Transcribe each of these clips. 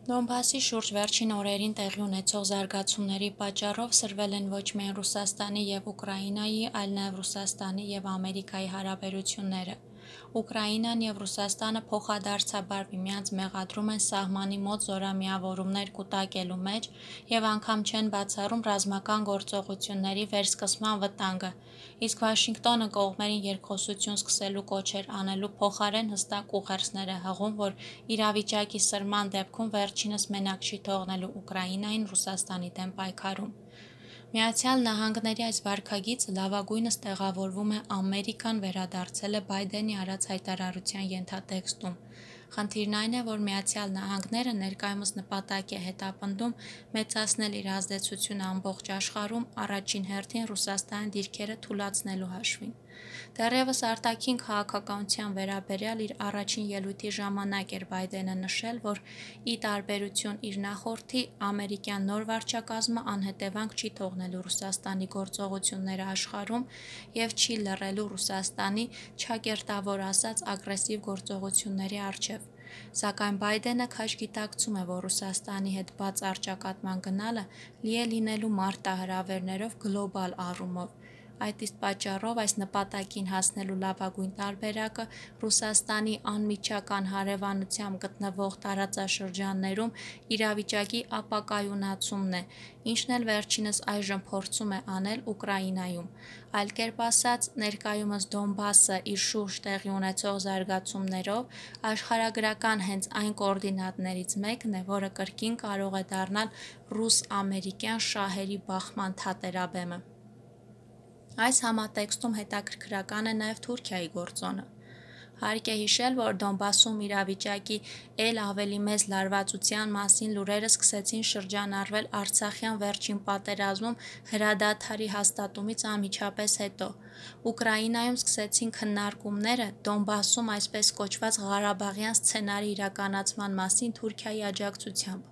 Դոնբասի շուրջ վերջին օրերին տեղի ունեցող զարգացումների պատճառով սրվել են ոչ միայն Ռուսաստանի և Ուկրաինայի, այլ նաև Ռուսաստանի և Ամերիկայի հարաբերությունները։ Ուկրաինան և Ռուսաստանը փոխադարձաբար միմյանց մեղադրում են սահմանի մոտ զորամիավորումներ կուտակելու մեջ և անգամ չեն բացառում ռազմական գործողությունների վերսկսման վտանգը, իսկ Վաշինգտոնը կողմերին երկխոսություն սկսելու կոչեր անելու փոխարեն հստակ ուղերձներ է հղում, որ իրավիճակի սրման դեպքում վերջինս մենակ չի թողնելու Ուկրաինային Ռուսաստանի դեմ պայքարում։ Միացյալ Նահանգների այս վարքագիծը լավագույնս տեղավորվում է Ամերիկան վերադարձել է Բայդենի արած հայտարարության ենթատեքստում։ Խնդիրն այն է, որ Միացյալ Նահանգները ներկայումս նպատակ է հետապնդում մեծացնել իր ազդեցությունը ամբողջ աշխարհում, առաջին հերթին Ռուսաստանի դիրքերը թուլացնելու հաշվին։ Դեռևս արտաքին քաղաքականության վերաբերյալ իր առաջին ելույթի ժամանակ էր Բայդենը նշել, որ ի տարբերություն իր նախորդի, ամերիկյան նոր վարչակազմը անհետևանք չի թողնելու Ռուսաստանի գործողությունները աշխարհում և չի լռելու Ռուսաստանի, չակերտավոր ասած, ագրեսիվ գործողությունների առջև։ Սակայն Բայդենը քաջ գիտակցում է, որ Ռուսաստանի հետ բաց առճակատման գնալը լի է լինելու մարտահրավերներով գլոբալ առումով։ Այդ իսկ պատճառով այս նպատակին հասնելու լավագույն տարբերակը Ռուսաստանի անմիջական հարևանությամբ գտնվող տարածաշրջաններում իրավիճակի ապակայունացումն է, ինչն էլ վերջինս այժմ փորձում է անել Ուկրաինայում։ Այլ կերպ ասած, ներկայումս Դոնբասը իր շուրջ տեղի ունեցող զարգացումներով աշխարհագրական հենց այն կոորդինատներից մեկն է, որը կրկին կարող է դառնալ ռուս-ամերիկյան շահերի բախման թատերաբեմը։ Այս համատեքստում հետաքրքրական է նաև Թուրքիայի գործոնը։ Հարկ է հիշել, որ Դոնբասում իրավիճակի էլ ավելի մեծ լարվածության մասին լուրերը սկսեցին շրջանառվել Արցախյան վերջին պատերազմում հրադադարի հաստատումից անմիջապես հետո։ Ուկրաինայում սկսեցին քննարկումները Դոնբասում այսպես կոչված Ղարաբաղյան սցենարի իրականացման մասին Թուրքիայի աջակցությամբ։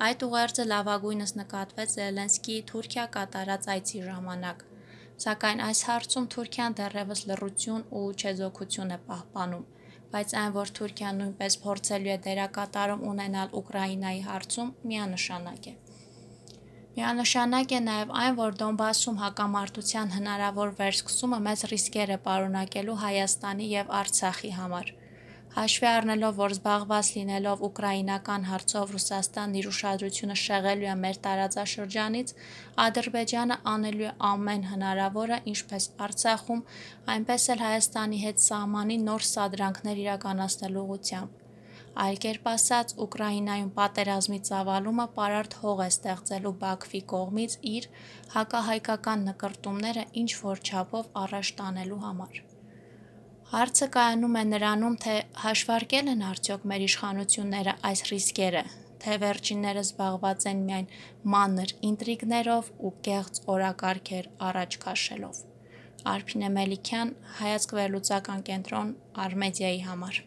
Այդ ուղերձը լավագույնս նկատվեց Զելենսկիի Թուրքիա կատարած այցի ժամանակ։ Սակայն այս հարցում Թուրքիան դեռևս լռություն ու չեզոքություն է պահպանում, բայց այն, որ Թուրքիան նույնպես փորձելու է դերակատարում ունենալ Ուկրաինայի հարցում, միանշանակ է։ Միանշանակ է նաև այն, որ Դոնբասում հակամարտության հնարավոր վերսկսումը մեծ ռիսկեր է պարունակելու Հայաստանի և Արցախի համար։ Հաշվի առնելով, որ զբաղված լինելով ուկրաինական հարցով Ռուսաստանն իր ուշադրությունը շեղելու է մեր տարածաշրջանից, Ադրբեջանը անելու է ամեն հնարավորը ինչպես Արցախում, այնպես էլ Հայաստանի հետ սահմանի նոր սադրանքներ իրականացնելու ուղղությամբ։ Այլ կերպ ասած, Ուկրաինայում պատերազմի ծավալումը պարարտ հող է ստեղծելու Բաքվի կողմից իր հակահայկական նկրտումները ինչ-որ չափով առաջ տանելու համար։ Հարցը կայանում է նրանում, թե հաշվարկել են արդյոք մեր իշխանությունները այս ռիսկերը, թե վերջիններս զբաղված են միայն մանր ինտրիգներով ու կեղծ օրակարգեր առաջ քաշելով։ Արփինե Մելիքյան, Հայացք վերլուծական կենտրոն, Արմեդիայի համար։